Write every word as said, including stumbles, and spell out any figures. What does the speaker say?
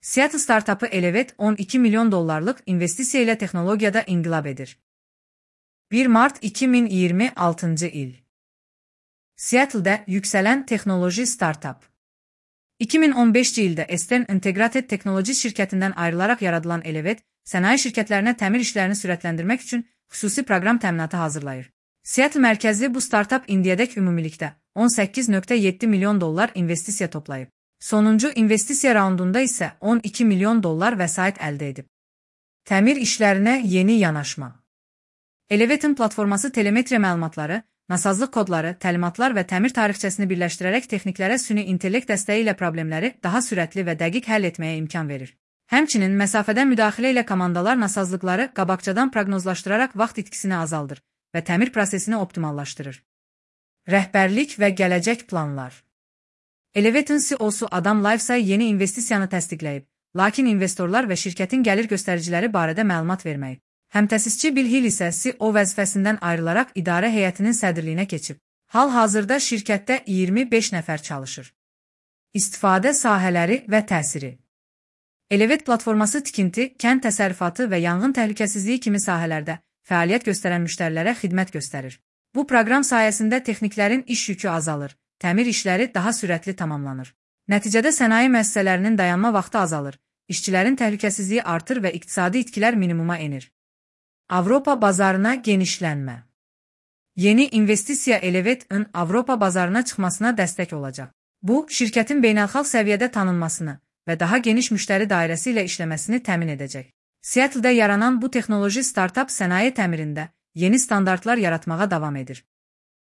Seattle startupı Elevate on iki milyon dolarlık investisiya ilə texnologiyada inqilab edir. bir Mart iki min iyirmi altıncı il. Seattle'da yüksələn texnoloji startup. iki min on beşinci ildə Eastern Integrated Technology şirkətindən ayrılaraq yaradılan Elevate, sənaye şirkətlərinə təmir işlərini sürətləndirmək üçün xüsusi proqram təminatı hazırlayır. Seattle mərkəzli bu startup indiyədək ümumilikdə on səkkiz nöqtə yeddi milyon dollar investisiya toplayıb. Sonuncu investisiya raundunda isə on iki milyon dollar vəsait əldə edib. Təmir işlərinə yeni yanaşma. Elevate'ın platforması telemetriya məlumatları, nasazlıq kodları, təlimatlar və təmir tarixçəsini birləşdirərək texniklərə süni intellekt dəstəyi ilə problemləri daha sürətli və dəqiq həll etməyə imkan verir. Həmçinin məsafədən müdaxilə ilə komandalar nasazlıqları qabaqcadan proqnozlaşdıraraq vaxt itkisini azaldır və təmir prosesini optimallaşdırır. Rəhbərlik və gələcək planlar. Elevate'ın C E O-su Adam Livesay yeni investisiyanı təsdiqləyib, lakin investorlar və şirkətin gəlir göstəriciləri barədə məlumat verməyib. Həmtəsisçi Bill Hill isə C E O vəzifəsindən ayrılaraq idarə heyətinin sədrliyinə keçib. Hal-hazırda şirkətdə iyirmi beş nəfər çalışır. İstifadə sahələri və təsiri. Elevate platforması tikinti, kənd təsərrüfatı və yanğın təhlükəsizliyi kimi sahələrdə fəaliyyət göstərən müştərilərə xidmət göstərir. Bu proqram sayəsində texniklərin iş yükü azalır, təmir işləri daha sürətli tamamlanır. Nəticədə sənaye müəssisələrinin dayanma vaxtı azalır, işçilərin təhlükəsizliyi artır və iqtisadi itkilər minimuma enir. Avropa bazarına genişlənmə. Yeni investisiya Elevate'ın Avropa bazarına çıxmasına dəstək olacaq. Bu, şirkətin beynəlxalq səviyyədə tanınmasını və daha geniş müştəri dairəsi ilə işləməsini təmin edəcək. Seattle'da yaranan bu texnoloji startup sənaye təmirində yeni standartlar yaratmağa davam edir.